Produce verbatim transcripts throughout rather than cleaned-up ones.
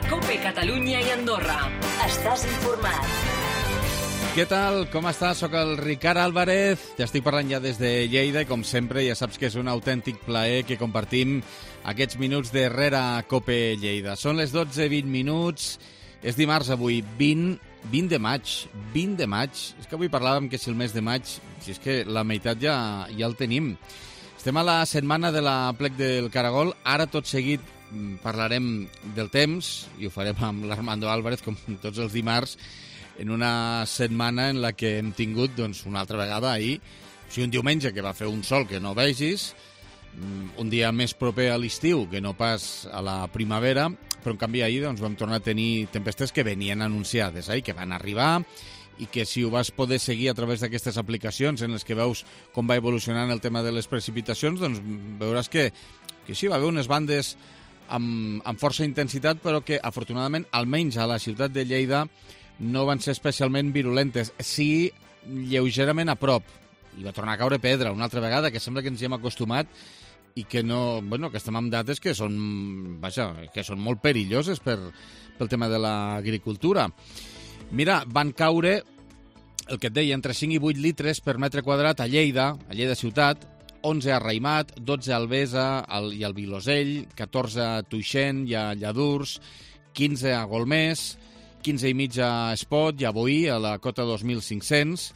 COPE Catalunya i Andorra. Estàs informat. Què tal? Com estàs? Soc el Ricard Álvarez. T'estic parlant ja des de Lleida i, com sempre, ja saps que és un autèntic plaer que compartim aquests minuts de Rere COPE Lleida. Són les dotze i vint minuts. És dimarts avui, vint, vint de maig. vint de maig. És que avui parlàvem que si el mes de maig, si és que la meitat ja, ja el tenim. Estem a la setmana de la Plec del Caragol. Ara, tot seguit, parlarem del temps i ho farem amb l'Armando Álvarez, com tots els dimarts, en una setmana en la que hem tingut, doncs, una altra vegada ahir, o sigui, un diumenge que va fer un sol que no vegis, un dia més proper a l'estiu que no pas a la primavera, però en canvi ahir doncs, vam tornar a tenir tempestes que venien anunciades, eh, que van arribar, i que si ho vas poder seguir a través d'aquestes aplicacions en les que veus com va evolucionant el tema de les precipitacions, doncs veuràs que, que sí, va haver unes bandes amb, amb força intensitat, però que afortunadament, almenys a la ciutat de Lleida, no van ser especialment virulentes. Sí, lleugerament a prop. I va tornar a caure pedra una altra vegada, que sembla que ens hi hem acostumat i que no, bueno, que estem amb dates que són, vaja, que són molt perilloses per, pel tema de l'agricultura. Mira, van caure, el que et deia, entre cinc i vuit litres per metre quadrat a Lleida, a Lleida ciutat, onze a Raïmat, dotze a Albesa i al Vilosell, catorze a Tuixén i a Lladurs, quinze a Golmés, quinze i mig a Espot i a Boí, a la cota dos mil cinc-cents.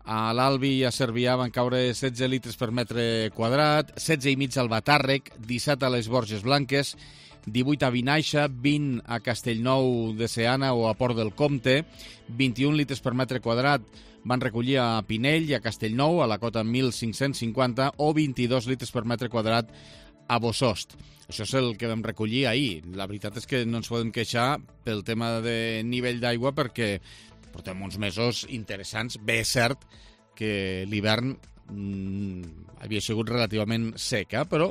A l'Albi i a Cervià van caure setze litres per metre quadrat, setze i mig al Batàrrec, disset a les Borges Blanques, divuit a Vinaixa, vint a Castellnou de Seana o a Port del Comte, vint-i-un litres per metre quadrat van recollir a Pinell i a Castellnou, a la cota mil cinc-cents cinquanta, o vint-i-dos litres per metre quadrat a Bosost. Això és el que vam recollir ahir. La veritat és que no ens podem queixar pel tema de nivell d'aigua perquè portem uns mesos interessants. Bé, és cert que l'hivern mmm, havia sigut relativament seca, però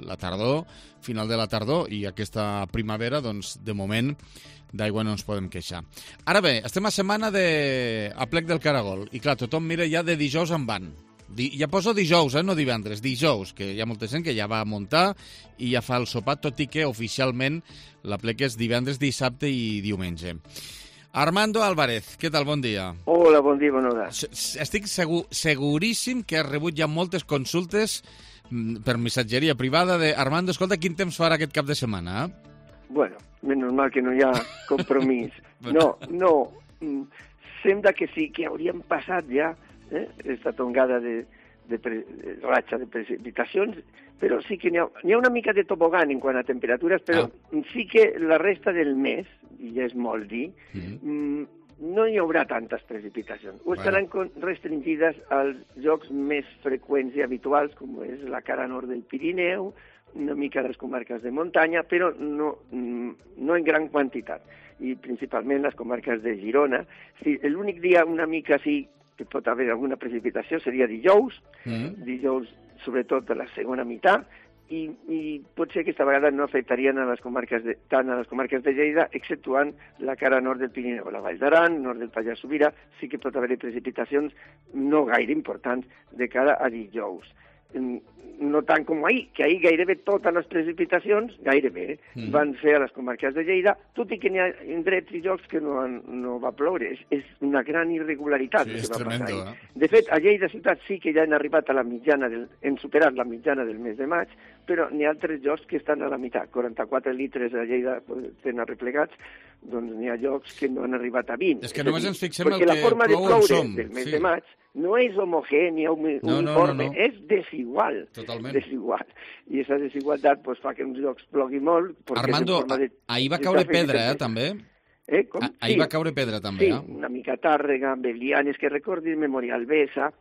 la tardor, final de la tardor i aquesta primavera, doncs, de moment, d'aigua no ens podem queixar. Ara bé, estem a setmana de a Plec del Caragol i, clar, tothom mira ja de dijous en van. Di, ja poso dijous, eh, no divendres, dijous, que hi ha molta gent que ja va a muntar i ja fa el sopar, tot i que oficialment la Plec és divendres, dissabte i diumenge. Armando Álvarez, què tal? Bon dia. Hola, bon dia, bona hora. Estic segur, seguríssim que has rebut ja moltes consultes per missatgeria privada de Armando, escolta, quin temps farà aquest cap de setmana? Eh? Bueno, menys mal que no hi ha compromís. No, no, sembla que sí, que hauríem passat ja eh, aquesta tongada de, de, pre, de ratxa de precipitacions, però sí que n'hi ha, n'hi ha una mica de tobogan en quant a temperatures, però ah. sí que la resta del mes, i ja és molt dir, mm-hmm. no hi haurà tantes precipitacions. O estaran bueno. restringides als llocs més freqüents i habituals, com és la cara nord del Pirineu, una mica de les comarques de muntanya, però no, no en gran quantitat. I principalment les comarques de Girona. Sí, l'únic dia una mica sí que pot haver alguna precipitació seria dijous, mm. dijous sobretot a la segona meitat, i, i potser aquesta vegada no afectarien a les comarques de, tant a les comarques de Lleida, exceptuant la cara nord del Pirineu, la Vall d'Aran, nord del Pallars Sobirà, sí que pot haver precipitacions no gaire importants de cara a dijous. No tant com ahir, que ahir gairebé totes les precipitacions, gairebé, mm. van ser a les comarques de Lleida, tot i que n'hi ha indrets i llocs que no, han, no va ploure. És, és una gran irregularitat. Sí, és tremendo, eh? De fet, a Lleida ciutat sí que ja han arribat a la mitjana, del, han superat la mitjana del mes de maig, però n'hi ha altres llocs que estan a la meitat. quaranta-quatre litres a Lleida tenen arreplegats, doncs n'hi ha llocs que no han arribat a vint. És que només ens fixem el que la forma de plou ploure som. del mes Sí. de maig no és homogènia, uniforme, no, no, no, no. és desigual. Totalment. Desigual. I aquesta desigualtat pues, fa que uns llocs plogui molt. Armando, de, ahir va caure pedra, eh, també? Eh, com? Ah, ahir sí. va caure pedra, també, sí, eh? una mica Tàrrega, Belianes, que recordi Memòria Albesa,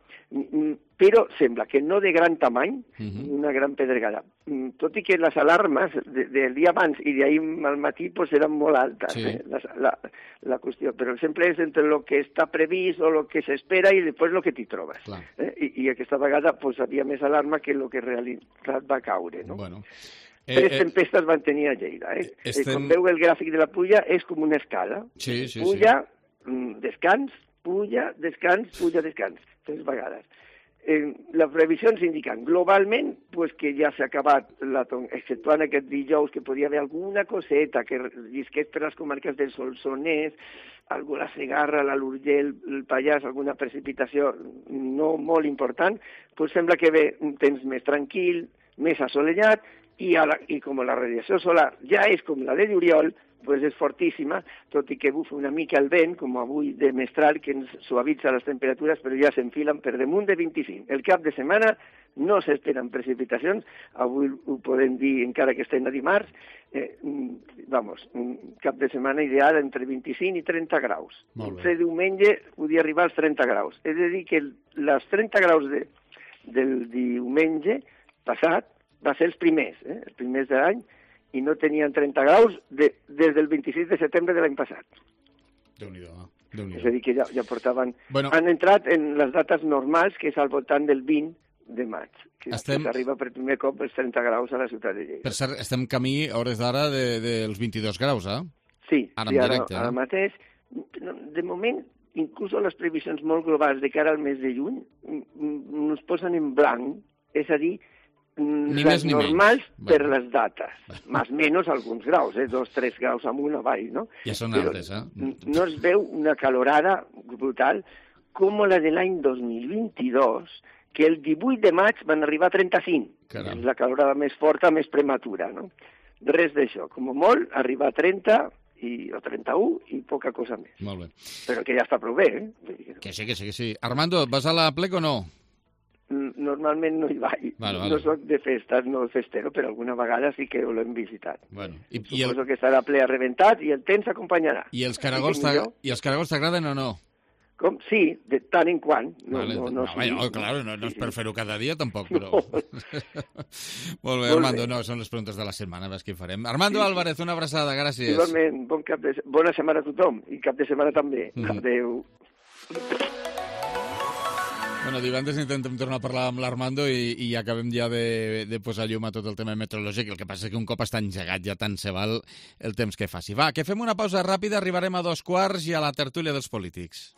però sembla que no de gran tamany, uh-huh. una gran pedregada. Tot i que les alarmes de, del dia abans i d'ahir al matí pues, eren molt altes, sí. eh, la, la, la qüestió. Però sempre és entre el que està previst o el que s'espera i després el que t'hi trobes. Eh? I, I aquesta vegada pues, havia més alarma que el que en realitat va caure. No? Bueno. Eh, Tres tempestes van tenir a Lleida. Eh? Estem... Com veu el gràfic de la pluja, és com una escala. Sí, sí, puja, sí. descans, puja, descans, puja, descans. Tres vegades. eh, les previsions indiquen globalment pues, que ja s'ha acabat, la ton... exceptuant aquest dijous, que podia haver alguna coseta que llisqués per les comarques del Solsonès, alguna Segarra, la l'Urgell, el Pallars, alguna precipitació no molt important, pues sembla que ve un temps més tranquil, més assolellat, i, a la, i com la radiació solar ja és com la de juliol, pues és fortíssima, tot i que bufa una mica el vent, com avui de mestral, que ens suavitza les temperatures, però ja s'enfilen per damunt de vint-i-cinc. El cap de setmana no s'esperen precipitacions, avui ho podem dir encara que estem a dimarts, eh, vamos, un cap de setmana ideal entre vint-i-cinc i trenta graus. Fer diumenge podia arribar als trenta graus. És a dir, que els trenta graus de, del diumenge passat va ser els primers, eh, els primers de l'any, i no tenien trenta graus de, des del vint-i-sis de setembre de l'any passat. Déu-n'hi-do, Déu-n'hi-do. És a dir, que ja, ja portaven... Bueno. Han entrat en les dates normals, que és al voltant del vint de maig, que, estem... que s'arriba per primer cop els trenta graus a la ciutat de Lleida. Per cert, estem camí, a hores d'ara, dels de, de vint-i-dos graus, eh? Sí, ara, sí, ara, directe, ara eh? mateix. De moment, inclús les previsions molt globals de cara al mes de juny ens posen en blanc, és a dir, ni les més ni normals menys. per Bueno. les dates, més o menys alguns graus, eh? dos, tres graus amunt o avall, no? Ja són Però altres, eh? no es veu una calorada brutal com la de l'any dos mil vint-i-dos, que el divuit de maig van arribar a trenta-cinc. Caram. És la calorada més forta, més prematura, no? Res d'això. Com a molt, arribar a trenta i, o trenta-u i poca cosa més. Molt bé. Però que ja està prou bé, eh? Que sí, que sí, que sí. Armando, vas a la plec o no? Normalment no hi vaig. Vale, vale. No soc de festes, no festero, però alguna vegada sí que l'hem visitat. Bueno, i, i, Suposo el, que estarà ple a rebentat i el temps acompanyarà. i els caragols t'ag- i els caragols t'agraden o no? Com? Sí, de tant en quant. No, Vale. no, no, no, sí. no, claro, no, no és per fer-ho cada dia, tampoc, però... No. Molt bé, Armando, no, són les preguntes de la setmana, ves què hi farem. Armando Sí. Álvarez, una abraçada, gràcies. Igualment, bon cap de... bona setmana a tothom i cap de setmana també. Mhm. Adéu. Bueno, divendres intentem tornar a parlar amb l'Armando i, i acabem ja de, de posar llum a tot el tema meteorològic. El que passa és que un cop està engegat ja tant se val el temps que faci. Va, que fem una pausa ràpida, arribarem a dos quarts i a la tertúlia dels polítics.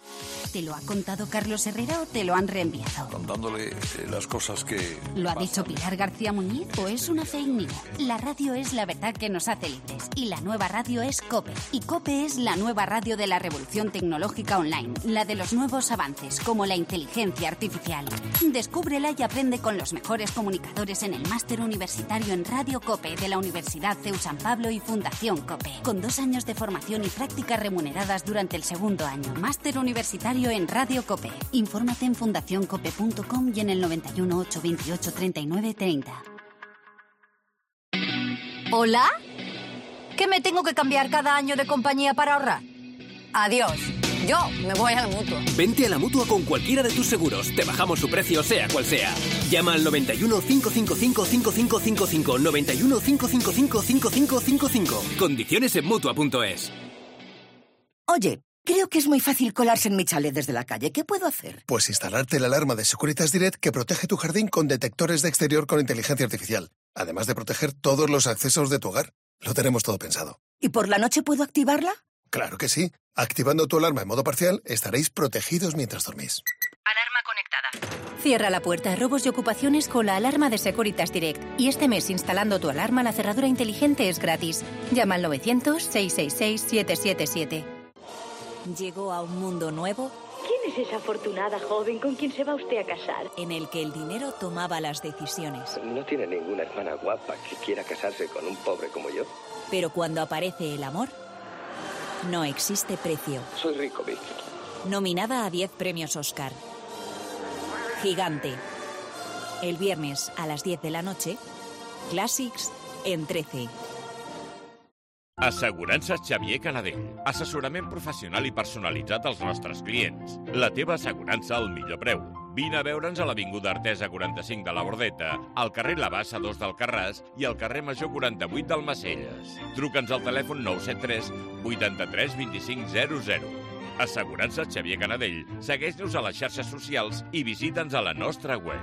¿Te lo ha contado Carlos Herrera o te lo han reenviado? Contándole eh, las cosas que... ¿Lo ha dicho Pilar García Muñiz o es una fake news? La radio es la verdad que nos hace libres y la nueva radio es COPE. Y COPE es la nueva radio de la revolución tecnológica online, la de los nuevos avances como la inteligencia artificial. Descúbrela y aprende con los mejores comunicadores en el máster universitario en Radio COPE de la Universidad C E U San Pablo y Fundación COPE, con dos años de formación y prácticas remuneradas durante el segundo año. Máster universitario en Radio COPE. Infórmate en fundación cope punto com y en el noventa y uno, ocho veintiocho, treinta y nueve treinta. ¿Hola? ¿Que me tengo que cambiar cada año de compañía para ahorrar? Adiós. Yo me voy a la Mutua. Vente a la Mutua con cualquiera de tus seguros. Te bajamos su precio, sea cual sea. Llama al noventa y uno, cinco cinco cinco, cinco cinco cinco cinco. noventa y uno, cinco cinco cinco, cinco cinco cinco cinco. Condiciones en Mutua punto es. Oye, creo que es muy fácil colarse en mi chalet desde la calle. ¿Qué puedo hacer? Pues instalarte la alarma de Securitas Direct que protege tu jardín con detectores de exterior con inteligencia artificial. Además de proteger todos los accesos de tu hogar. Lo tenemos todo pensado. ¿Y por la noche puedo activarla? Claro que sí. Activando tu alarma en modo parcial, estaréis protegidos mientras dormís. Alarma conectada. Cierra la puerta a robos y ocupaciones con la alarma de Securitas Direct. Y este mes, instalando tu alarma, la cerradura inteligente es gratis. Llama al novecientos, seiscientos sesenta y seis, setecientos setenta y siete. ¿Llegó a un mundo nuevo? ¿Quién es esa afortunada joven con quien se va usted a casar? En el que el dinero tomaba las decisiones. ¿No tiene ninguna hermana guapa que quiera casarse con un pobre como yo? Pero cuando aparece el amor, no existe precio. Soy rico, Vic. Nominada a diez premios Oscar. Gigante. El viernes a las diez de la noche, Clàssics en trece. Assegurances Xavier Canadell. Assessorament professional i personalitzat als nostres clients. La teva assegurança al millor preu. Vine a veure'ns a l'Avinguda Artesa quaranta-cinc de la Bordeta, al carrer La Bassa dos d'Alcarràs i al carrer Major quaranta-vuit d'Almacelles. Truca'ns al telèfon nou set tres, vuitanta-tres, vint-i-cinc, zero zero. Assegurances Xavier Canadell. Segueix-nos a les xarxes socials i visita'ns a la nostra web.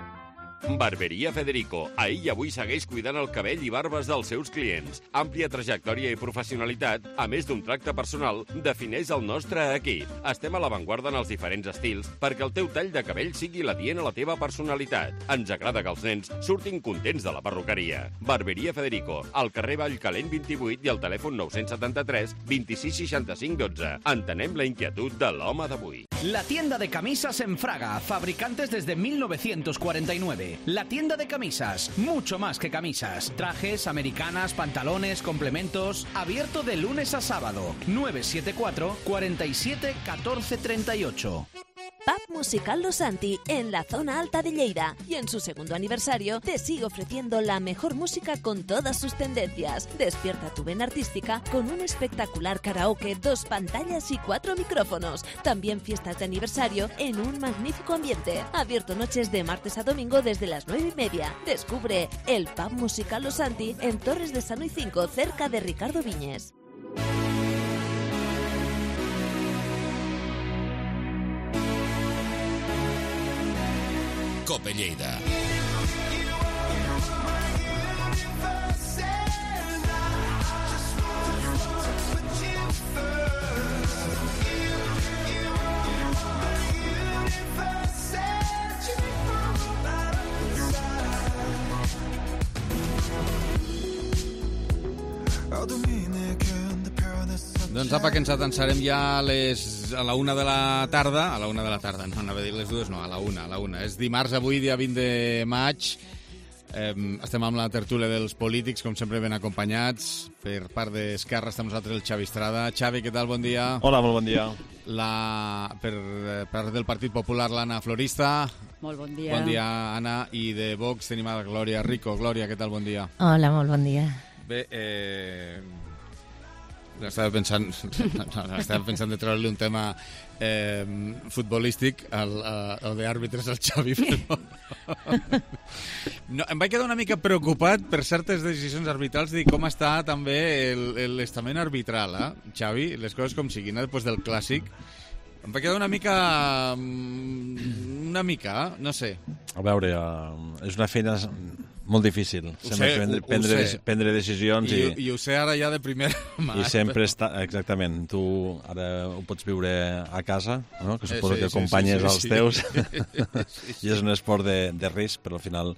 Barberia Federico. Ahir i avui segueix cuidant el cabell i barbes dels seus clients. Àmplia trajectòria i professionalitat, a més d'un tracte personal, defineix el nostre equip. Estem a l'avantguarda en els diferents estils perquè el teu tall de cabell sigui l'adient a la teva personalitat. Ens agrada que els nens surtin contents de la perruqueria. Barberia Federico, al carrer Vallcalent vint-i-vuit i al telèfon nou setanta-tres vint-i-sis seixanta-cinc dotze. Entenem la inquietud de l'home d'avui. La tienda de camisas en Fraga, fabricantes desde mil novecientos cuarenta y nueve. La tienda de camisas, mucho más que camisas. Trajes, americanas, pantalones, complementos. Abierto de lunes a sábado. nueve siete cuatro, cuarenta y siete, catorce treinta y ocho. Pub Musical Los Santi, en la zona alta de Lleida. Y en su segundo aniversario te sigue ofreciendo la mejor música con todas sus tendencias. Despierta tu vena artística con un espectacular karaoke, dos pantallas y cuatro micrófonos. También fiestas de aniversario en un magnífico ambiente. Abierto noches de martes a domingo desde las nueve y media. Descubre el Pub Musical Los Santi en Torres de Sanoy cinco, cerca de Ricardo Viñes. Cope Lleida. Doncs apa, que ens atansarem ja a, les, a la una de la tarda. A la una de la tarda, no anava a dir les dues, no, a la una, a la una. És dimarts avui, dia vint de maig. Eh, estem amb la tertúlia dels polítics, com sempre ben acompanyats. Per part d'Esquerra està amb nosaltres el Xavi Estrada. Xavi, què tal? Bon dia. Hola, molt bon dia. La, per part del Partit Popular, l'Anna Florista. Molt bon dia. Bon dia, Anna. I de Vox tenim a la Glòria Rico. Glòria, què tal? Bon dia. Hola, molt bon dia. Bé, eh... Estava pensant, estava pensant de treure-li un tema eh, futbolístic al, a, o d'àrbitres al Xavi, però no, em vaig quedar una mica preocupat per certes decisions arbitrals i com està també l'estament arbitral, eh, Xavi, les coses com siguin, després del clàssic. Em va quedar una mica... una mica, no sé. A veure, és una feina molt difícil. Ho sé, prendre, ho, prendre, ho sé. prendre decisions i, i... I ho sé ara ja de primera mà. I sempre està... Exactament. Tu ara ho pots viure a casa, no? Que suposo sí, que acompanyes sí, sí, sí, els sí. teus. Sí. I és un esport de, de risc, però al final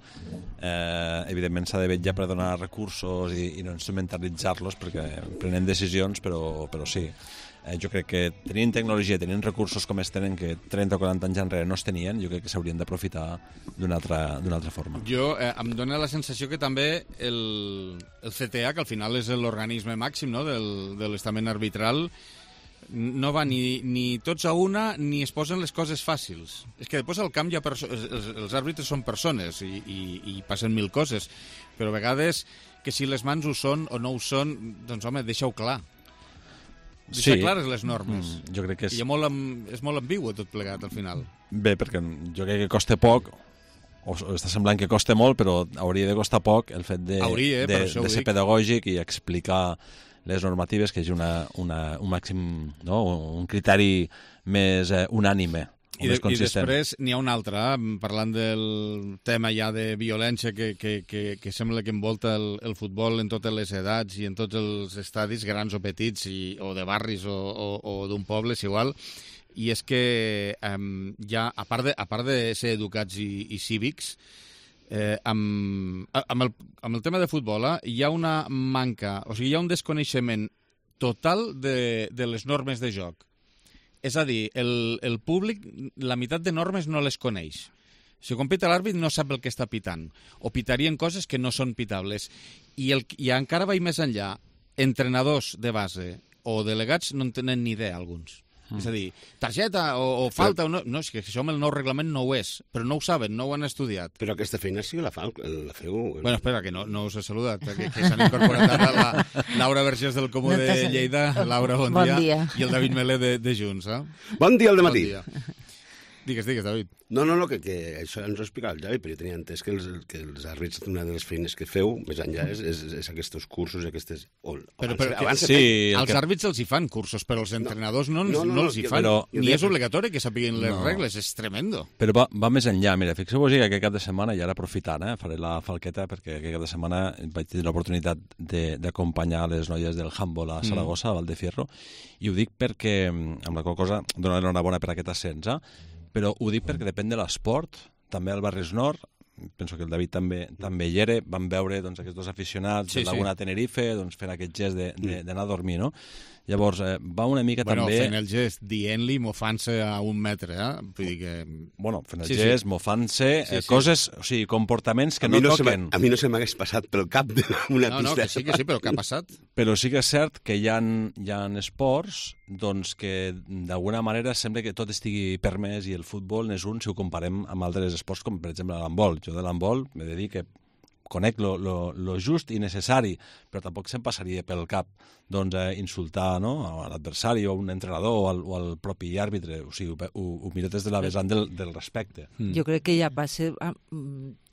eh, evidentment s'ha de vetllar per donar recursos i, i no instrumentalitzar-los, perquè prenem decisions, però, però sí. Eh, jo crec que tenint tecnologia, tenint recursos com es tenen, que trenta o quaranta anys enrere no es tenien, jo crec que s'haurien d'aprofitar d'una altra, d'una altra forma. Jo eh, em dóna la sensació que també el, el C T A, que al final és l'organisme màxim, no?, del, de l'estament arbitral, no va ni, ni tots a una ni es posen les coses fàcils. És que després al camp hi ha perso- els, els àrbitres són persones i, i, i passen mil coses, però a vegades que si les mans ho són o no ho són, doncs home, deixa-ho clar. Deixar sí. clares les normes. Mm, jo crec que és... I molt, és molt ambigu tot plegat, al final. Bé, perquè jo crec que costa poc, o està semblant que costa molt, però hauria de costar poc el fet de, hauria, eh, de, de ser dic. pedagògic i explicar les normatives, que és una, una, un màxim, no? un criteri més eh, unànime. I, de, I després n'hi ha una altra, parlant del tema ja de violència que, que, que, que sembla que envolta el, el futbol en totes les edats i en tots els estadis, grans o petits, i, o de barris o, o, o d'un poble, és igual, i és que um, ja, a part, de, a part de ser educats i, i cívics, eh, amb, amb, el, amb el tema de futbol eh, hi ha una manca, o sigui, hi ha un desconeixement total de, de les normes de joc. És a dir, el, el públic, la meitat de normes no les coneix. Si compita l'àrbit no sap el que està pitant, o pitarien coses que no són pitables. I, el, i encara vaig més enllà, entrenadors de base o delegats no en tenen ni idea, alguns. Mm. És a dir, targeta o, o falta... Però... O no, no, és que això amb el nou reglament no ho és, però no ho saben, no ho han estudiat. Però aquesta feina sí que la, fa, la feu... Bueno, espera, que no, no us he saludat, que, que s'han incorporat ara la Laura Vergés del Comú no de Lleida. Laura, bon, bon dia. dia. I el David Melé de, de Junts, eh? Bon dia al dematí. Bon dia. Digues, digues, David. No, no, no, que, que això ens ho explicava el Javi, però jo tenia entès que els, que els àrbits, una de les feines que feu, més enllà, és, és, és aquests cursos, aquestes... O, però, abans, però, abans sí, feien... els àrbits els hi fan cursos, però els entrenadors no, no, no, no, no els hi fan. Però, ni és obligatori que sapiguin les no. regles, és tremendo. Però va, va més enllà, mira, fixeu-vos que aquest cap de setmana, i ara aprofitant, eh, faré la falqueta, perquè aquest cap de setmana vaig tenir l'oportunitat d'acompanyar les noies del handball a Saragossa, mm. a Valdefierro, i ho dic perquè, amb la qual cosa, donar l'enhorabona per aquest ascens, eh? Però ho dic perquè depèn de l'esport, també al Barris Nord, penso que el David també també hi era, van veure doncs, aquests dos aficionats sí, de Laguna sí. Tenerife doncs, fent aquest gest d'anar a dormir, no? Llavors, eh, va una mica bueno, també... Bueno, fent el gest, dient-li, mofant-se a un metre, eh? Vull dir que... Bueno, fent el sí, gest, sí. mofant-se, sí, eh, sí. coses, o sigui, comportaments que a no, no toquen. A mi no se m'hagués passat pel cap d'una no, pista. No, que sí, que sí, però què ha passat? Però sí que és cert que hi ha, hi ha esports doncs, que d'alguna manera sembla que tot estigui permès i el futbol n'és un si ho comparem amb altres esports com per exemple l'handbol. Jo de l'handbol m'he de dir que conec lo, lo, lo just i necessari, però tampoc se'm passaria pel cap doncs, eh, insultar no? a l'adversari o a un entrenador o al, o al propi àrbitre. O sigui, ho, ho, ho miro des de la vessant del, del respecte. Mm. Jo crec que ja passa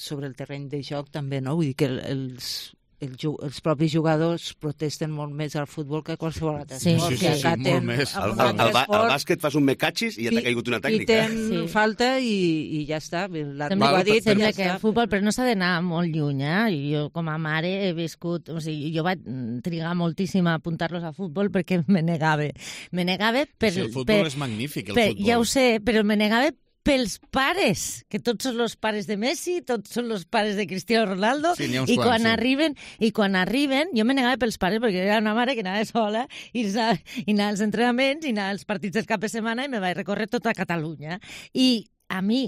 sobre el terreny de joc també, no? Vull dir que els... El, els propis jugadors protesten molt més al futbol que a qualsevol altre sí, esport. Sí, sí, sí, sí molt més. Al, al, al, al bàsquet fas un mecatxis i ja t'ha caigut una tècnica. I ten sí. falta i, i ja està. Sembla, ha dit, sembla ja que el futbol, però no s'ha d'anar molt lluny. Eh? Jo com a mare he viscut... O sigui, jo vaig trigar moltíssim a apuntar-los a futbol perquè me negava. Me negava per... Sí, el futbol per, és magnífic, el per, futbol. Ja ho sé, però me negava pels pares, que tots són els pares de Messi, tots són els pares de Cristiano Ronaldo, sí, i, quants, quan sí. arriben, i quan arriben, jo me negava pels pares, perquè era una mare que anava sola, i anava, i anava als entrenaments, i anava als partits del cap de setmana, i me vaig recórrer tota Catalunya. I a mi,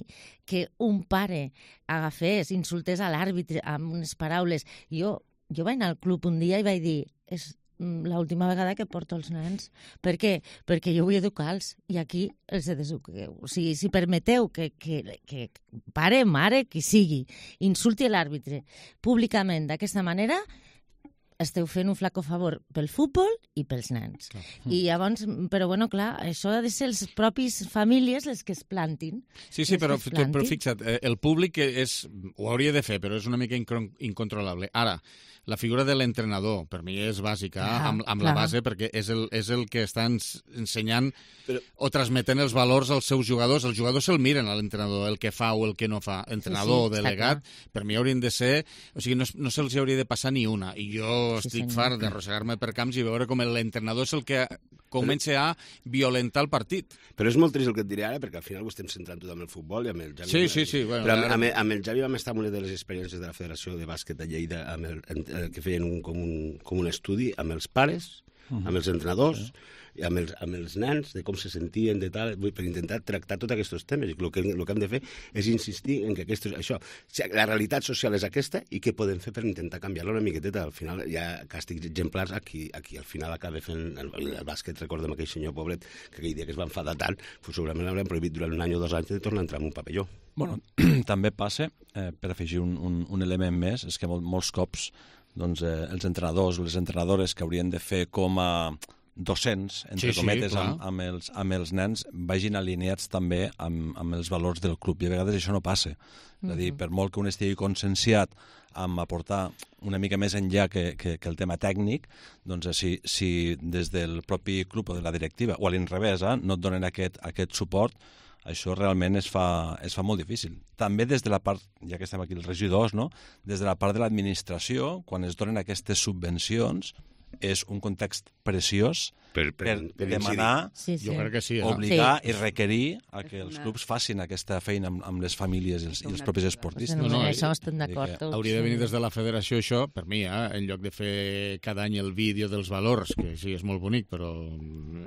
que un pare agafés, insultés a l'àrbitre amb unes paraules, jo, jo vaig anar al club un dia i vaig dir... És, l'última vegada que porto els nens. Per què? Perquè jo vull educar-los i aquí els deseduqueu. O sigui, si permeteu que, que, que pare, mare, qui sigui, insulti l'àrbitre públicament d'aquesta manera, esteu fent un flaco favor pel futbol i pels nens. Clar. I llavors, però bueno, clar, això ha de ser les propis famílies les que es plantin. Sí, sí, però, però fixa't, el públic és, ho hauria de fer, però és una mica incontrolable. Ara, la figura de l'entrenador, per mi és bàsica, ah, amb, amb la base, perquè és el, és el que està ensenyant però... o transmetent els valors als seus jugadors. Els jugadors se'l miren a l'entrenador, el que fa o el que no fa. Entrenador o sí, sí, delegat, per mi haurien de ser... O sigui, no, no se'ls hauria de passar ni una. I jo sí, estic senyor. fart d'arrossegar-me per camps i veure com l'entrenador és el que comença a violentar el partit. Però és molt trist el que et diré ara, perquè al final ho estem centrant tot amb el futbol i amb el Javi. Sí, sí, sí. Bueno, però amb, ara... amb, amb el Javi vam estar en una de les experiències de la Federació de Bàsquet de Lleida, amb el, el, que feien un, com, un, com un estudi amb els pares, uh-huh. amb els entrenadors, uh-huh. i amb els, amb els nens, de com se sentien, de tal, per intentar tractar tots aquests temes. I el que, el que hem de fer és insistir en que aquests, això, la realitat social és aquesta i què podem fer per intentar canviar-la una miqueteta. Al final hi ha càstigs exemplars a qui, a qui al final acaba fent el, el bàsquet. Recordem aquell senyor pobret que aquell dia que es va enfadar tant, pues segurament l'haurem prohibit durant un any o dos anys de tornar a entrar en un pavelló. Bueno, també passa, eh, per afegir un, un, un element més, és que mol, molts cops doncs, eh, els entrenadors o les entrenadores que haurien de fer com a docents, entre sí, cometes, sí, amb, amb, els, amb els nens, vagin alineats també amb, amb els valors del club. I a vegades això no passa. Mm-hmm. És a dir, per molt que un estigui conscienciat amb aportar una mica més enllà que, que, que el tema tècnic, doncs si, si des del propi club o de la directiva, o a l'inrevés, eh, no et donen aquest, aquest suport, això realment es fa, es fa molt difícil. També des de la part, ja que estem aquí els regidors, no? Des de la part de l'administració, quan es donen aquestes subvencions, és un context preciós per, per, per demanar, sí, sí. Jo crec que sí, eh? obligar sí. i requerir a que els clubs facin aquesta feina amb, amb les famílies i els, i els propis esportistes. No, no, això estem d'acord. Que hauria de venir des de la federació això, per mi, eh? En lloc de fer cada any el vídeo dels valors, que sí, és molt bonic, però,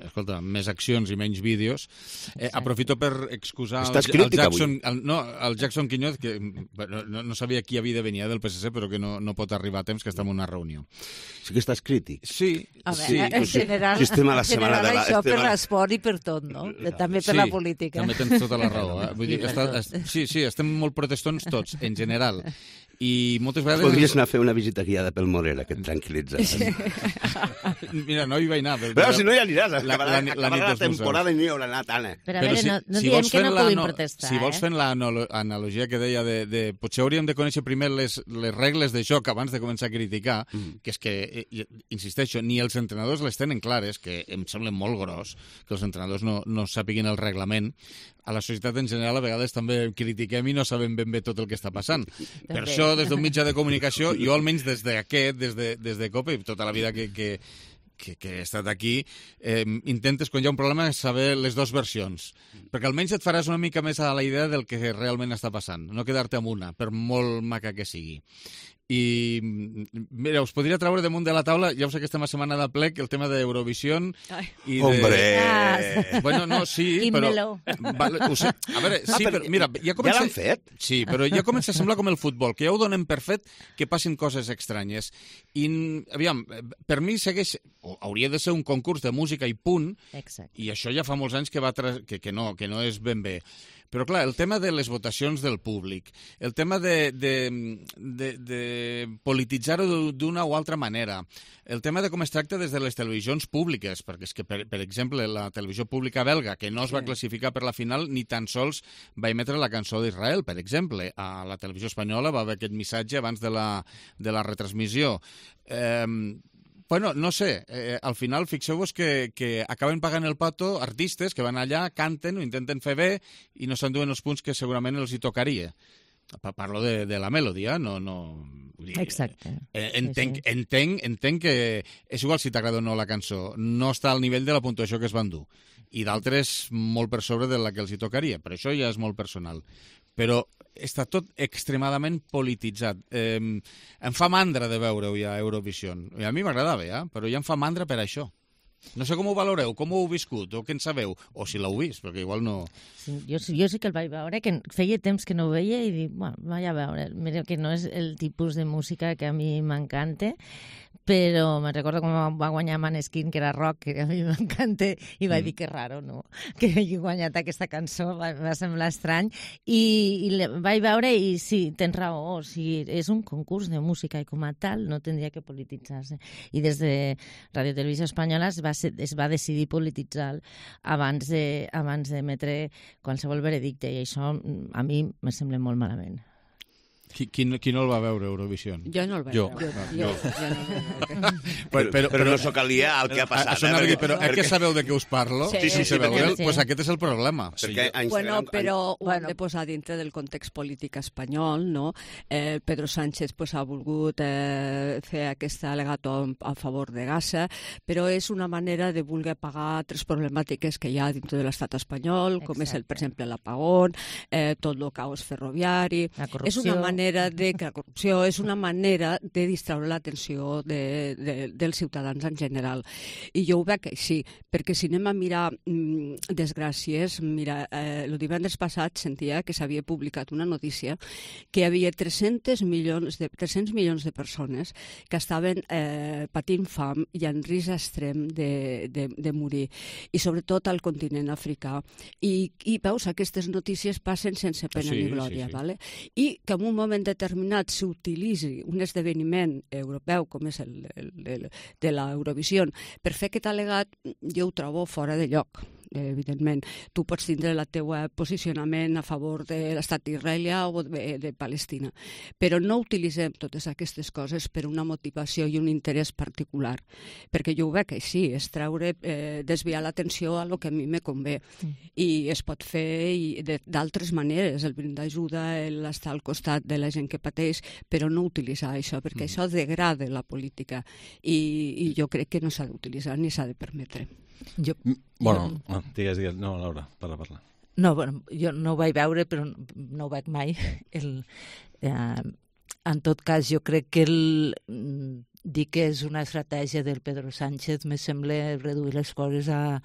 escolta, més accions i menys vídeos. Eh, aprofito per excusar el, el Jackson, el, no, el Jackson Quiñoz, que no, no sabia qui havia de venir del P S C, però que no, no pot arribar a temps, que està en una reunió. Sí que estàs crític. Sí. A veure, sí, en general, si estem a la setmana de la... això per l'esport i per tot, no? També per sí, la política. També tens tota la raó. Eh? Vull dir, està, est, sí, sí, estem molt protestons tots, en general. I moltes vegades... Podries anar a fer una visita guiada pel Morera, que et tranquil·litza. Mira, no hi vaig anar. Però, però si no hi aniràs, acabarà la, la, la, la temporada i no hi haurà anat, Anna. Però a veure, si, no, no si diem que no puguin no, protestar, Si vols eh? fent l'analogia que deia de, de... Potser hauríem de conèixer primer les, les regles de joc abans de començar a criticar, mm. que és que, eh, insisteixo, ni els entrenadors les tenen clares, que em sembla molt gros que els entrenadors no, no sàpiguin el reglament. A la societat en general a vegades també critiquem i no sabem ben bé tot el que està passant. Per això, des d'un mitjà de comunicació, jo almenys des d'aquest, des de, des de COPE, i tota la vida que, que, que, que he estat aquí, eh, intentes, quan hi ha un problema, saber les dues versions. Perquè almenys et faràs una mica més a la idea del que realment està passant, no quedar-te amb una, per molt maca que sigui. I, mira, us podria treure damunt de la taula, ja us sé que estem a setmana de plec, el tema d'Eurovision i de... Hombre! Bueno, no, sí, però... Vale, ho sé. A veure, sí, però, mira, ja comença... Ja l'han fet? Sí, però ja comença a semblar com el futbol, que ja ho donem per fet que passin coses estranyes. I, aviam, per mi segueix... Hauria de ser un concurs de música i punt, Exacte. I això ja fa molts anys que, va tra... que, que, no, que no és ben bé. Però, clar, el tema de les votacions del públic, el tema de, de, de, de polititzar-ho d'una o altra manera, el tema de com es tracta des de les televisions públiques, perquè és que, per, per exemple, la televisió pública belga, que no es va classificar per la final, ni tan sols va emetre la cançó d'Israel, per exemple. A la televisió espanyola va haver aquest missatge abans de la, de la retransmissió. Eh, Bueno, no sé, eh, al final fixeu-vos que, que acaben pagant el pato artistes que van allà, canten, ho intenten fer bé i no s'enduen els punts que segurament els hi tocaria. Parlo de, de la melodia, no... no dir, Exacte. Eh, entenc, sí, sí. entenc, entenc que és igual si t'agrada o no la cançó, no està al nivell de la puntuació que es van dur. I d'altres molt per sobre de la que els hi tocaria, però això ja és molt personal. Però està tot extremadament polititzat. Eh, em fa mandra de veure-ho ja a Eurovision. I a mi m'agradava, ja, però ja em fa mandra per això. No sé com ho valoreu, com ho heu viscut, o què en sabeu, o si l'heu vist, perquè igual no... Sí, jo, jo sí que el vaig veure, que feia temps que no ho veia i dic, bueno, vaig a veure, mira que no és el tipus de música que a mi m'encanta, però me recordo com va guanyar Maneskin, que era rock, que a mi m'encanta, i vaig mm. dir que raro, no?, que hagi guanyat aquesta cançó, va, va semblar estrany, i, i le, vaig veure i sí, tens raó, o sigui, és un concurs de música i com a tal no tindria que polititzar-se. I des de Radio Televisió Espanyola es va, ser, es va decidir polititzar abans de, abans d'emetre qualsevol veredicte, i això a mi me sembla molt malament. Qui, qui, no, qui no el va veure, Eurovision? Jo no el vaig jo. veure. Jo. Jo. Jo no però, però, però, però no sóc aliè al que ha passat. A, a, eh? Dir, però perquè... que sabeu de què us parlo? Sí, sí, sí. sí, sabeu, sí. Pues aquest és el problema. Perquè, sí, bueno, però ho hem de posar dintre del context polític espanyol, no? Eh, Pedro Sánchez pues, ha volgut eh, fer aquest alegato a favor de Gaza, però és una manera de voler pagar tres problemàtiques que hi ha dintre de l'estat espanyol, com Exacte. És, el, per exemple, l'apagón, eh, tot el caos ferroviari... És una manera de que la corrupció és una manera de distraure l'atenció de, de, dels ciutadans en general. I jo ho veig així, perquè si anem a mirar mmm, desgràcies, mira, eh, el divendres passat sentia que s'havia publicat una notícia que hi havia tres-cents milions de, tres-cents milions de persones que estaven eh, patint fam i en risc extrem de, de, de morir, i sobretot al continent africà. I, i veus, aquestes notícies passen sense pena sí, ni glòria, sí, sí. Vale? I que en un moment determinat s'utilitzi un esdeveniment europeu com és el, el, el de l'Eurovisió per fer aquest al·legat, jo ho trobo fora de lloc. Evidentment, tu pots tindre el teu posicionament a favor de l'estat d'Israel o de, de Palestina, però no utilitzem totes aquestes coses per una motivació i un interès particular, perquè jo ho veig així, és treure, eh, desviar l'atenció a lo que a mi me convé, mm. i es pot fer d'altres maneres, el brindar ajuda, l'estar al costat de la gent que pateix, però no utilitzar això, perquè mm. això degrada la política, i, i jo crec que no s'ha d'utilitzar ni s'ha de permetre. Jo, bueno, jo... digues, digues. No, Laura, parla, parla. No, bueno, jo no ho vaig veure, però no ho veig mai. El, eh, en tot cas, jo crec que el, dir que és una estratègia del Pedro Sánchez me sembla reduir les coses a...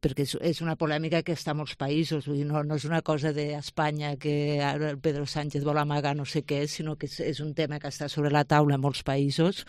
perquè és, és una polèmica que està a molts països, vull dir, no, no és una cosa d'Espanya que ara el Pedro Sánchez vol amagar no sé què, sinó que és, és un tema que està sobre la taula a molts països.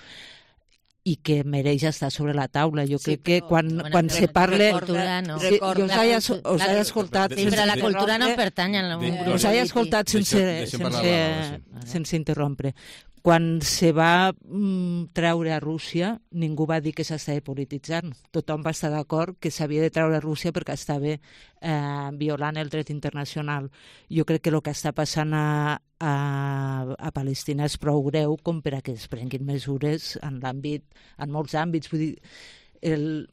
i que mereix estar sobre la taula. Jo Sí, crec que però, quan, bueno, quan rec- se parle... recorda, no. Sí, Recorda jo us la he, cultu- us la- he escoltat... Sí, però la cultura no pertany a un Sí, grup us he polític. escoltat sense, Deixem- deixem parlar sense, la Laura, sense interrompre. Quan se va mm, treure a Rússia, ningú va dir que s'estava polititzant. Tothom va estar d'acord que s'havia de treure a Rússia perquè estava eh, violant el dret internacional. Jo crec que el que està passant a, a, a Palestina és prou greu com per a que es prenguin mesures en l'àmbit, en molts àmbits. Vull dir, el,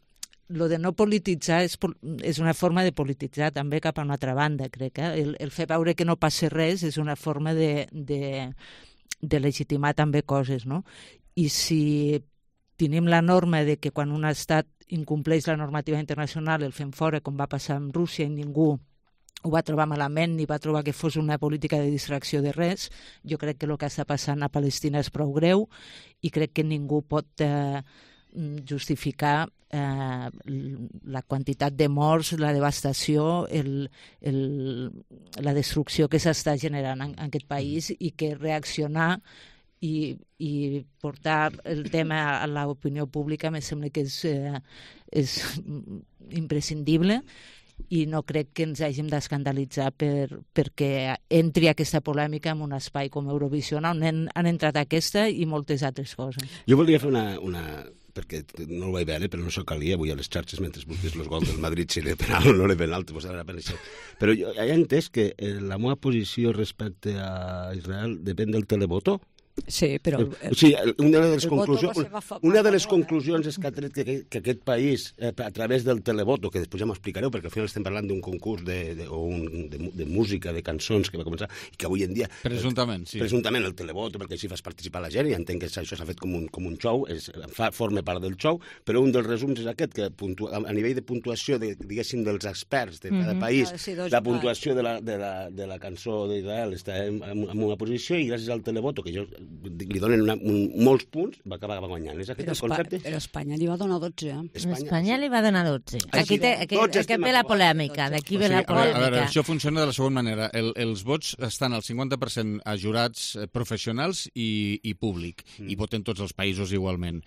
lo de no polititzar és, és una forma de polititzar també cap a una altra banda, crec. Eh? El, el fer veure que no passa res és una forma de, de, de legitimar també coses, no? I si tenim la norma de que quan un estat incompleix la normativa internacional el fem fora, com va passar amb Rússia, i ningú ho va trobar malament ni va trobar que fos una política de distracció de res, jo crec que el que està passant a Palestina és prou greu i crec que ningú pot eh, justificar eh, la quantitat de morts, la devastació, el, el, la destrucció que s'està generant en, en aquest país, i que reaccionar i, i portar el tema a l'opinió pública me sembla que és, eh, és imprescindible, i no crec que ens hàgim d'escandalitzar per, perquè entri aquesta polèmica en un espai com Eurovisió, on han, han entrat aquesta i moltes altres coses. Jo volia fer una, una perquè no ho vaig veure, però no s'ho calia avui a les xarxes mentre busques els gols del Madrid, si era penal o no era penal, te posarà per això. Però jo he entès que la meva posició respecte a Israel depèn del televoto. Sí, però... O sigui, una de les, conclusions, una de les conclusions és que ha tret que, que aquest país, eh, a través del televoto, que després ja m'ho explicareu, perquè al final estem parlant d'un concurs de, de, o un, de, de música, de cançons que va començar, i que avui en dia... Presumptament, sí. Presumptament el televoto, perquè així fas participar la gent, i entenc que això s'ha fet com un, com un show, és, fa, forma part del show, però un dels resums és aquest, que puntua, a nivell de puntuació, de, diguéssim, dels experts de cada Mhm. país, Ah, sí, dos- la puntuació de la, de la, de la cançó d'Israel està en, en, en una posició, i gràcies al televoto, que jo li donen una, un, molts punts, va acabar guanyant. És aquest Però, el concepte? Però Espanya li va donar dotze. Eh? Espanya, Espanya li va donar dotze. Ah, Aquí, sí. té, aquí, Tots aquí estem ve a la favor. polèmica, d'aquí ve O sigui, la a veure, a veure, polèmica. això funciona de la següent manera. El, els vots estan al cinquanta per cent a jurats eh, professionals i, i públic, mm. i voten tots els països igualment.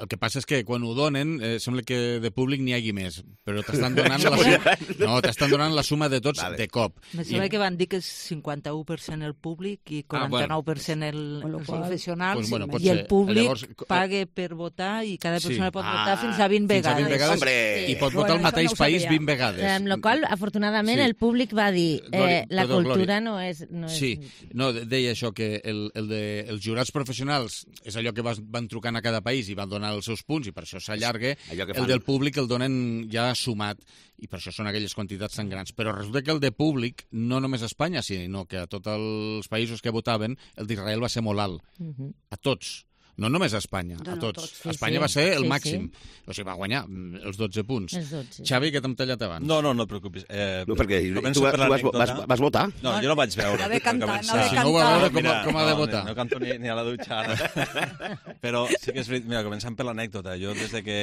El que passa és que quan ho donen, eh, sembla que de públic n'hi hagi més, però t'estan donant, la suma, no, t'estan donant la suma de tots vale. de cop. Me sembla I... que van dir que és cinquanta-u per cent el públic i quaranta-nou per cent el, bueno, els qual... professionals, pues, bueno, i el públic llavors... paga per votar i cada persona Sí. pot Ah, votar fins a vint fins vegades. a vint vegades Hombre! I pot votar al Bueno, mateix això no ho país sabia. vint vegades. Amb la qual, afortunadament, Sí. el públic va dir eh, Glòria, la perdó, cultura Glòria. no és... No és... Sí, no, deia això, que el, el de, els jurats professionals és allò que vas, van trucant a cada país i van donar els seus punts, i per això s'allarga. Allò que El fan. del públic el donen ja sumat, i per això són aquelles quantitats tan grans. Però resulta que el de públic, no només a Espanya, sinó que a tots els països que votaven, el d'Israel va ser molt alt. Mhm. A tots. No només a Espanya, No, a no, tots. tots, sí, Espanya sí. va ser el Sí, màxim. O sigui, va guanyar mm, els dotze punts. Els dotze. Xavi, que t'hem tallat abans. No, no, no et preocupis. Eh, No, perquè començo tu, per tu vas, l'anècdota. vas, vas votar? No, jo no vaig veure. No ve per cantar, començar. no ve Si no ho va veure, com, Mira, com ha de no, votar? No, no canto ni, ni a la dutxa ara. Però sí que és veritat, mira, començant per l'anècdota. Jo, des de que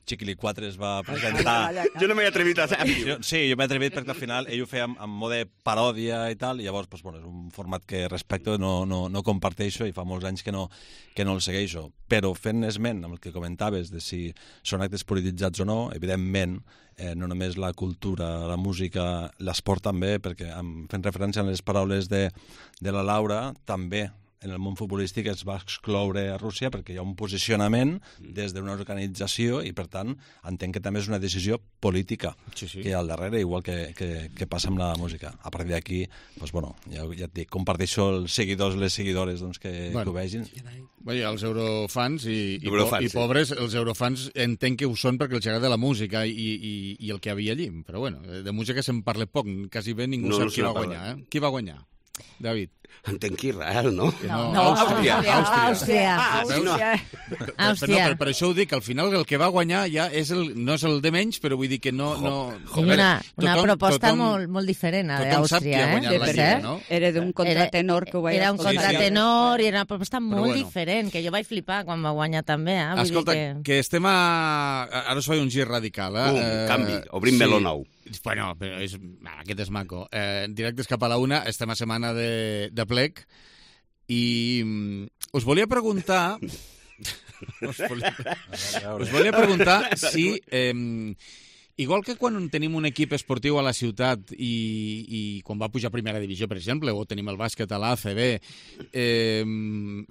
Chiquili quatre es va presentar... Jo no m'he atrevit a fer. Jo, sí, jo m'he atrevit perquè al final ell ho feia amb, amb mode paròdia i tal, i llavors pues, bueno, és un format que respecto, no, no, no comparteixo, i fa molts anys que no, que no el segueixo. Però fent esment amb el que comentaves de si són actes polititzats o no, evidentment, eh, no només la cultura, la música, l'esport també, perquè amb, fent referència a les paraules de, de la Laura, també en el món futbolístic es va excloure a Rússia perquè hi ha un posicionament des d'una organització i, per tant, entenc que també és una decisió política Sí, sí. que hi ha al darrere, igual que, que, que passa amb la música. A partir d'aquí, doncs, bueno, ja, ja et dic, comparteixo els seguidors, les seguidores doncs, que, Bueno. que ho vegin. Bé, els eurofans i, i, Eurofans, po i sí. pobres, els eurofans entenc que ho són perquè els agrada la música i, i, i el que havia allí. Però bueno, de música se'n parla poc, quasi bé ningú No, sap no qui se va n'ha guanyar. parlat. Eh? Qui va guanyar? David. Entenc que Israel, no? No, No, Àustria. Àustria. Àustria. Ah, sí, no. Per, per, Àustria. no, per, per això ho dic, al final el que va guanyar ja és el, no és el de menys, però vull dir que no... no Hi ha una, una tothom- proposta tothom- molt, molt diferent a tothom sap qui d'Àustria. ha guanyat eh? la Sí, Lliga, cert. no? Era d'un contratenor que ho vaig Era un escoltar. contratenor i era una proposta molt bueno. diferent, que jo vaig flipar quan va guanyar també. Eh? Vull Escolta, dir que... que estem a... Ara us faig un gir radical, eh? Bum, Eh, canvi, obrim meló nou. Bueno, però és... ah, aquest és maco. Eh, directes cap a la una, estem a setmana de, de plec, i mm, us volia preguntar... Us volia, us volia preguntar si... Eh, igual que quan tenim un equip esportiu a la ciutat i, i quan va pujar a primera divisió, per exemple, o tenim el bàsquet a l'A C B, eh,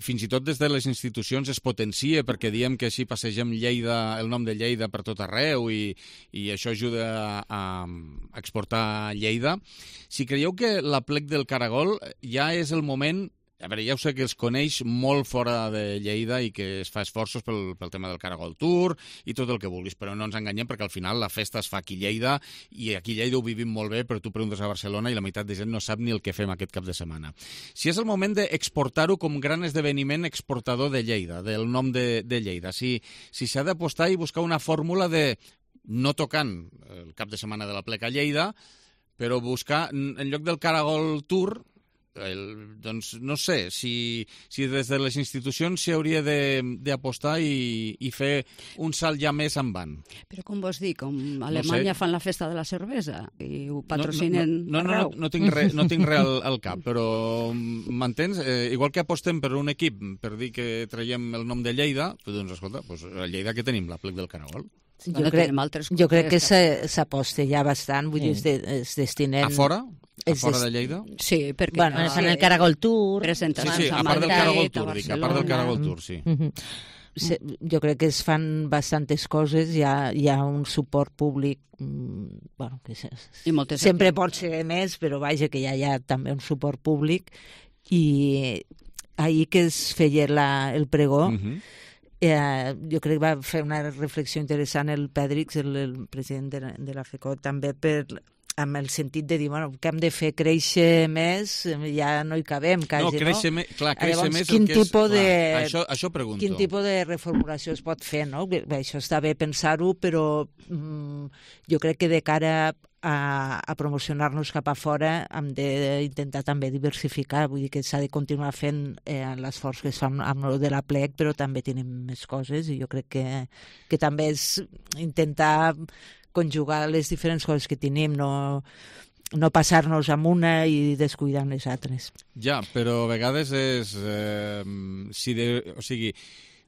fins i tot des de les institucions es potencia perquè diem que així passegem Lleida, el nom de Lleida per tot arreu i, i això ajuda a, a exportar Lleida. Si creieu que l'aplec del Caragol ja és el moment... A veure, ja ho sé que es coneix molt fora de Lleida i que es fa esforços pel, pel tema del Caragol Tour i tot el que vulguis, però no ens enganyem perquè al final la festa es fa aquí a Lleida i aquí a Lleida ho vivim molt bé, però tu preguntes a Barcelona i la meitat de gent no sap ni el que fem aquest cap de setmana. Si és el moment d'exportar-ho com gran esdeveniment exportador de Lleida, del nom de, de Lleida, si si s'ha d'apostar i buscar una fórmula de no tocant el cap de setmana de la Plec a Lleida, però buscar, en lloc del Caragol Tour... El, doncs no sé si, si des de les institucions s'hi hauria d'apostar i, i fer un salt ja més en van. Però com vols dir, com a Alemanya no sé. Fan la festa de la cervesa i ho patrocinen no, no, no, no, no, no tinc res no tinc re al, al cap, però m'entens? Eh, igual que apostem per un equip per dir que traiem el nom de Lleida, doncs escolta, doncs a Lleida que tenim? La Plec del Caragol. Jo, bueno, crec, jo crec que s'aposta ja bastant, vull dir, es, de, es destinen... A fora? A fora de Lleida? Sí, perquè... Bueno, fan el Caragol Tour... Sí, sí, a part del Caragol Tour, dic, a part del Caragol Tour, sí. Sí, jo crec que es fan bastantes coses, hi ha, hi ha un suport públic, bueno, que se, sempre pot ser més, però vaja, que ja hi ha també un suport públic, i ahir que es feia la, el pregó, uh-huh. Eh, jo crec que va fer una reflexió interessant el Pèdrix, el, el president de la, de la FECO, també per, amb el sentit de dir, bueno, que hem de fer créixer més, ja no hi cabem, quasi, no? Créixer no? Me, clar, créixer Llavors, més quin el que és... Tipus de, clar, això, això pregunto. Quin tipus de reformulació es pot fer, no? Bé, això està bé pensar-ho, però mm, jo crec que de cara a, a promocionar-nos cap a fora hem d'intentar també diversificar, vull dir que s'ha de continuar fent eh, l'esforç que es fa amb, amb el de la Plec, però també tenim més coses i jo crec que, que també és intentar conjugar les diferents coses que tenim, no, no passar-nos amb una i descuidar les altres. Ja, però a vegades és... Eh, si de, o sigui,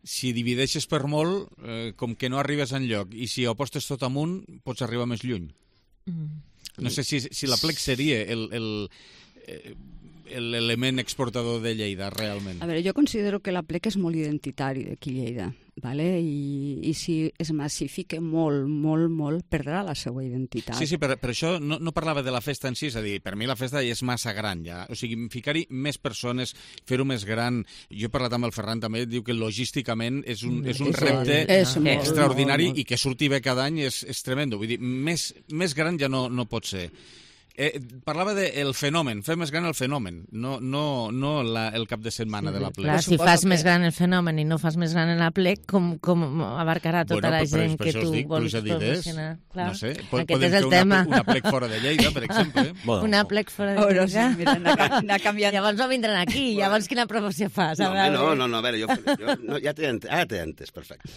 si divideixes per molt, eh, com que no arribes enlloc, i si apostes tot amunt, pots arribar més lluny. Mm. No sé si, si la Plec seria el... el eh, l'element exportador de Lleida, realment. A veure, jo considero que la Plec és molt identitari d'aquí Lleida, ¿vale? I, i si es massifica molt, molt, molt, perdrà la seva identitat. Sí, sí, per, per això no, no parlava de la festa en si, és a dir, per mi la festa és massa gran ja, o sigui, ficar-hi més persones, fer-ho més gran. Jo he parlat amb el Ferran també, diu que logísticament és un, és un repte és molt, extraordinari molt, molt. I que surti bé cada any és, és tremendo, vull dir, més, més gran ja no, no pot ser. Eh, parlava del de fenomen, fer més gran el fenomen, no, no, no la, el cap de setmana sí, de la Plec. Clar, si fas que... més gran el fenomen i no fas més gran en la Plec, com, com abarcarà tota bueno, la gent que tu dic, vols promocionar? Clar. No sé, Pod Aquest podem és el fer tema. Una, una Plec fora de Lleida, per exemple. Bueno. Una Plec fora de oh, Lleida. No, sí, mira, anar, anar canviant. Llavors no vindran aquí, llavors quina promoció fas? No, no, no, no, a veure, jo, jo no, ja t'he entès, ah, t'he entès, perfecte.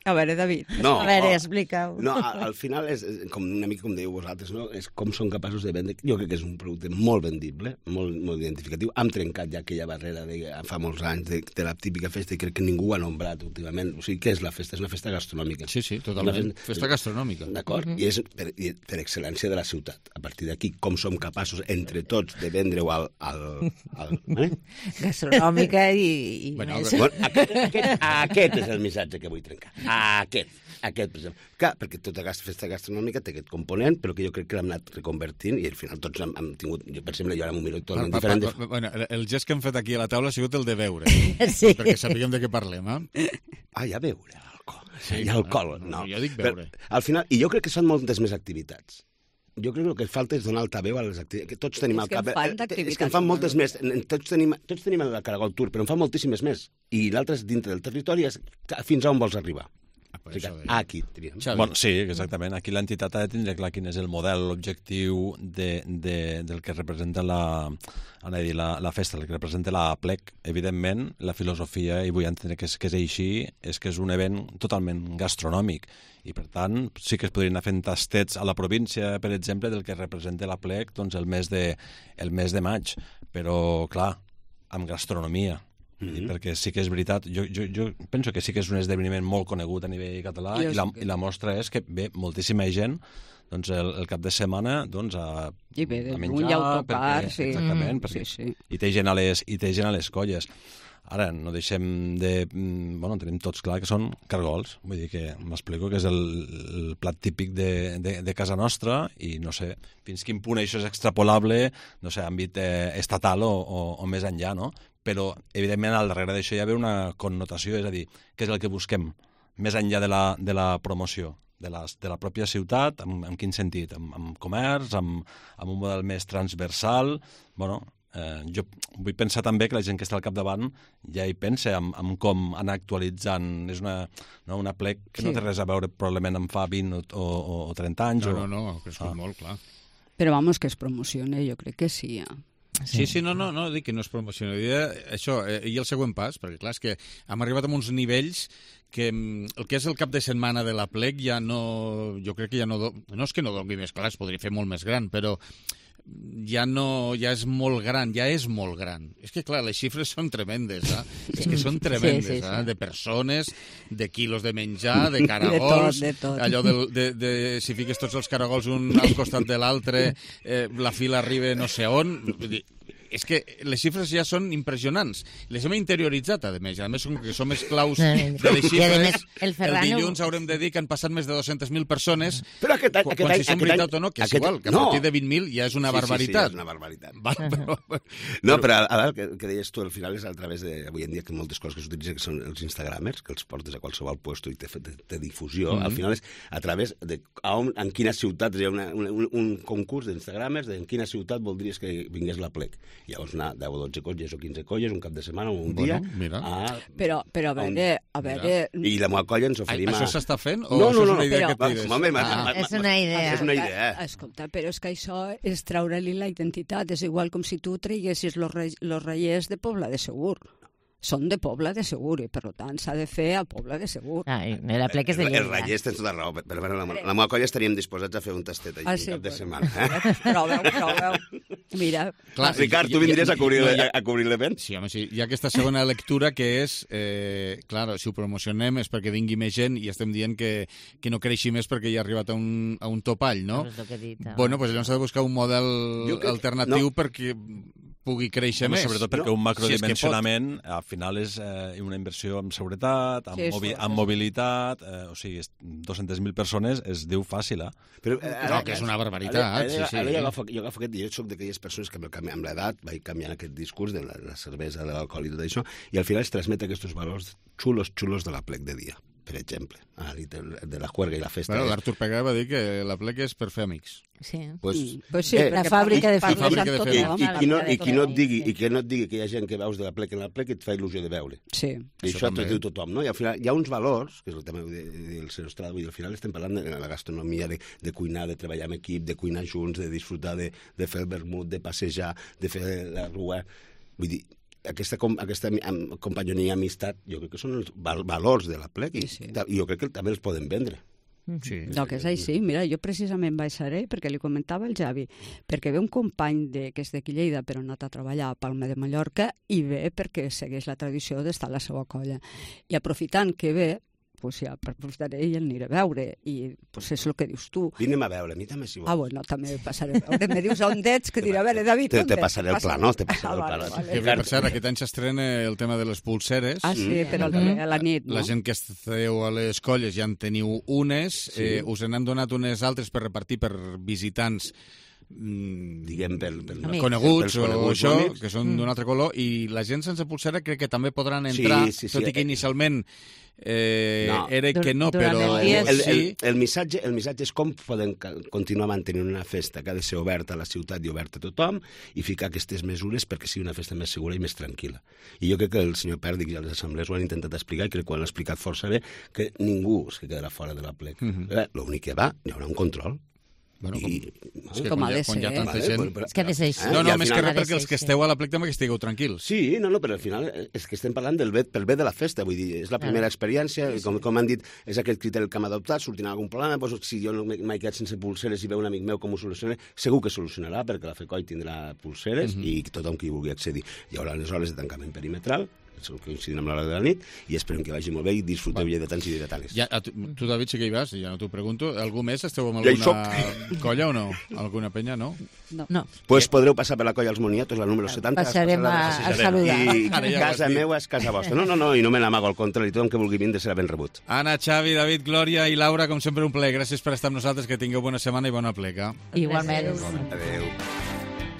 A veure, David. No, a veure, explica-ho. No, al final és, com una mica com dèieu vosaltres, no? És com són capaços de vendre. Jo crec que és un producte molt vendible, molt, molt identificatiu. Hem trencat ja aquella barrera de fa molts anys de, de la típica festa i crec que ningú ho ha nombrat últimament. O sigui, què és la festa? És una festa gastronòmica. Sí, sí, totalment. Festa, festa gastronòmica. D'acord? Mm -hmm. I és per, per excel·lència de la ciutat. A partir d'aquí, com som capaços entre tots de vendre-ho al... al, al eh? Gastronòmica i... i bueno, més. Bueno, aquest, aquest, aquest és el missatge que vull trencar. Aquest, aquest, per exemple. Clar, perquè tota aquesta festa gastronòmica té aquest component, però que jo crec que l'hem anat reconvertint i al final tots hem, hem tingut... Jo, per exemple, jo ara m'ho miro totalment pa, pa, diferent. Pa, pa, bueno, el gest que hem fet aquí a la taula ha sigut el de beure, sí. perquè sapiguem de què parlem, eh? Ah, ja beure, alcohol. Sí, hi ha alcohol, no. no. Jo dic beure. Però, al final, i jo crec que són moltes més activitats. Jo crec que el que falta és donar altaveu a les activitats. Que tots tenim és al cap... Que és que en fan moltes més. Tots tenim, tots tenim el Caragol Tour, però en fan moltíssimes més. I l'altre és dintre del territori, és fins a on vols arribar. Ah, o sigui, aquí, diríem. Bueno, sí, exactament. Aquí l'entitat ha de tindre clar quin és el model, l'objectiu de, de, del que representa la, dir, la, la festa, el que representa la Plec. Evidentment, la filosofia, i vull entendre que és, que és així, és que és un event totalment gastronòmic. I, per tant, sí que es podrien anar fent tastets a la província, per exemple, del que representa la Plec doncs, el, mes de, el mes de maig. Però, clar, amb gastronomia. Mm-hmm. Perquè sí que és veritat, jo, jo, jo penso que sí que és un esdeveniment molt conegut a nivell català i la, i la mostra és que ve moltíssima gent doncs el, el cap de setmana doncs, a, I bé, a menjar, un autocar, perquè, sí. exactament, Mm, perquè sí, sí. i té gent a les, i té gent a les colles. Ara, no deixem de... Bueno, tenim tots clar que són cargols. Vull dir que m'explico que és el, el plat típic de, de, de casa nostra i no sé fins quin punt això és extrapolable, no sé, àmbit eh, estatal o, o, o més enllà, no? Però, evidentment, al darrere d'això hi ha una connotació, és a dir, què és el que busquem més enllà de la, de la promoció de la, de la pròpia ciutat, en, en quin sentit? Amb, amb comerç, amb, amb un model més transversal, bueno... Eh, jo vull pensar també que la gent que està al capdavant ja hi pensa en, en com anar actualitzant. És una, no, una plec que sí. no té res a veure probablement amb fa vint o, o, o trenta anys. No, o... no, no, ha crescut ah. molt, clar. Però vamos, que es promocione, jo crec que sí. Ja. Sí, sí, no, no, no, dic que no es promociona. Això, eh, i el següent pas, perquè clar, és que hem arribat a uns nivells que el que és el cap de setmana de la plec ja no... Jo crec que ja no... Do, no és que no doni més, clar, es podria fer molt més gran, però ja no, ja és molt gran, ja és molt gran. És que, clar, les xifres són tremendes, eh? És que són tremendes, sí, sí, sí. Eh? De persones, de quilos de menjar, de caragols, de tot, de tot. Allò de, de, de, si fiques tots els caragols un al costat de l'altre, eh, la fila arriba no sé on... Vull dir, és que les xifres ja són impressionants. Les hem interioritzat, a més. A més, com que som esclaus de les xifres, el, el dilluns haurem de dir que han passat més de dues-centes mil persones, però aquest any, quan si són veritat o no, que és igual, que a partir de vint mil ja és una sí, barbaritat. Sí, sí, és una barbaritat. Va, però, no, però a veure, que, que deies tu, al final és a través de, avui en dia, que moltes coses que s'utilitzen, que són els instagramers, que els portes a qualsevol puesto i té, té, té difusió, mm-hmm. al final és a través de a on, en quines ciutats hi ha una, un, un concurs d'instagramers de en quina ciutat voldries que vingués la plec. Llavors anar deu o dotze colles o quinze colles un cap de setmana o un bueno, dia mira. A, però, però a veure, a veure... I la meva colla ens oferim a... Això s'està fent o no, això no, no, és una idea però... que et tires? Va, home, ah, ma, ma, és una idea. És una idea. Escolta, però és que això és treure-li la identitat. És igual com si tu traiguessis los, re, los reiers de Pobla de Segur. Són de Pobla de Segur i, per tant, s'ha de fer a Pobla de Segur. Ah, la plec és de Lleida. Els reiers tens tota raó, però bueno, la, la meva colla estaríem disposats a fer un tastet allà ah, sí, un cap de setmana. Eh? Proveu, proveu. Mira. Clar, Ricard, tu vindries a cobrir, a, a cobrir l'event? Sí, home, sí. Hi ha aquesta segona lectura que és, eh, clar, si ho promocionem és perquè vingui més gent i estem dient que, que no creixi més perquè ja ha arribat a un, a un topall, no? És el que he dit, no? Bueno, doncs llavors s'ha de buscar un model crec, alternatiu no. perquè pugui créixer Home, més. Sobretot perquè no? un macrodimensionament si al final és eh, una inversió en seguretat, en, sí, mobi en mobilitat, eh, o sigui, dues-centes mil persones es diu fàcil, eh? Però, eh, no, que és una barbaritat. Ara, sí, sí, ara sí. jo agafo, jo agafo aquest, jo soc d'aquelles persones que amb l'edat vaig canviant aquest discurs de la, la cervesa, de l'alcohol i tot això, i al final es transmet aquests valors xulos, xulos de la plec de dia, per exemple, ah, de la juerga i la festa. Bueno, l'Artur Pega va dir que la plec és per fer amics. Sí, pues, pues sí, eh, la fàbrica de fer amics. I, i, i, no, i, qui no et digui, i que no et digui que hi ha gent que veus de la plec en la plec et fa il·lusió de veure. Sí. I això, això t'ho diu tothom, no? I al final hi ha uns valors, que és el tema del senyor Estrada, vull dir, al final estem parlant de la gastronomia, de, de cuinar, de treballar en equip, de cuinar junts, de disfrutar, de, de fer el vermut, de passejar, de fer la rua. Vull dir, aquesta, aquesta companyonia, amistat, jo crec que són els valors de la plec i, sí. i jo crec que també els poden vendre. Sí. No, que és així. Mira, jo precisament vaig ser perquè li comentava al Javi, perquè ve un company de, que és d'aquí Lleida però ha anat a treballar a Palma de Mallorca i ve perquè segueix la tradició d'estar a la seva colla. I aprofitant que ve, pues ja aprofitaré i el aniré a veure. I pues és el que dius tu. Vinem a veure, a mi també si vols. Ah, bueno, també passaré a veure. Me dius on ets, que diré, a veure, David, te, on te passaré el pla, no? Te passaré el pla. Que bé, per cert, aquest any s'estrena el tema de les pulseres. Ah, sí, però a la nit, no? La gent que esteu a les colles ja en teniu unes, eh, us n'han donat unes altres per repartir per visitants diguem per, per coneguts per o això, que són d'un altre color, i la gent sense pulsera crec que també podran entrar, sí, sí, sí. tot i que inicialment eh, no. era que no, però el, el, el, el, missatge, el missatge és com podem continuar mantenint una festa que ha de ser oberta a la ciutat i oberta a tothom i ficar aquestes mesures perquè sigui una festa més segura i més tranquil·la. I jo crec que el senyor Pèrdic i les assemblees ho han intentat explicar i crec que ho han explicat força bé, que ningú es quedarà fora de la plec. Mm -hmm. L'únic que va, hi haurà un control. Bueno, com, I, és que com quan, ha de quan hi ha ser. tanta Vale, gent... però, però, és que ha de ser així. No, no, més que res ha de perquè els ser que així. esteu a la plec també que estigueu tranquils. Sí, no, no, però al final és que estem parlant del bé, pel bé de la festa, vull dir, és la primera experiència, i com, com han dit, és aquest criteri que hem adoptat, sortirà algun problema, doncs, si jo no m'he quedat sense pulseres i veu un amic meu com ho soluciona, segur que solucionarà, perquè la FECOI tindrà pulseres mm -hmm. i tothom qui vulgui accedir. Hi haurà les hores de tancament perimetral, coincidint amb l'hora de la nit, i esperem que vagi molt bé i disfruteu lleidatans i lleidatanes. Ja, tu, tu, David, sí que hi vas, ja no t'ho pregunto. Algú més esteu amb alguna colla o no? Alguna penya, no? No. no. Pues podreu passar per la colla Els Moniatos, la número setanta. Passarem a, a saludar. I casa meva és casa vostra. No, no, no, i no me n'amago, al contrari, tothom que vulgui vindre serà ben rebut. Anna, Xavi, David, Glòria i Laura, com sempre, un plaer. Gràcies per estar amb nosaltres, que tingueu bona setmana i bona pleca. Igualment. Adéu.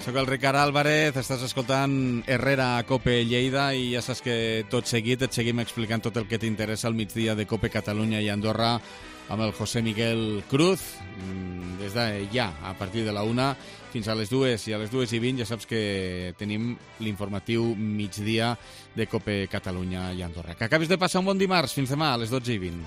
Soc el Ricard Álvarez, estàs escoltant Herrera a Cope Lleida i ja saps que tot seguit et seguim explicant tot el que t'interessa al migdia de Cope Catalunya i Andorra amb el José Miguel Cruz, des de ja, a partir de la una fins a les dues, i a les dues i vint ja saps que tenim l'informatiu migdia de Cope Catalunya i Andorra. Que acabis de passar un bon dimarts, fins demà a les dotze i vint.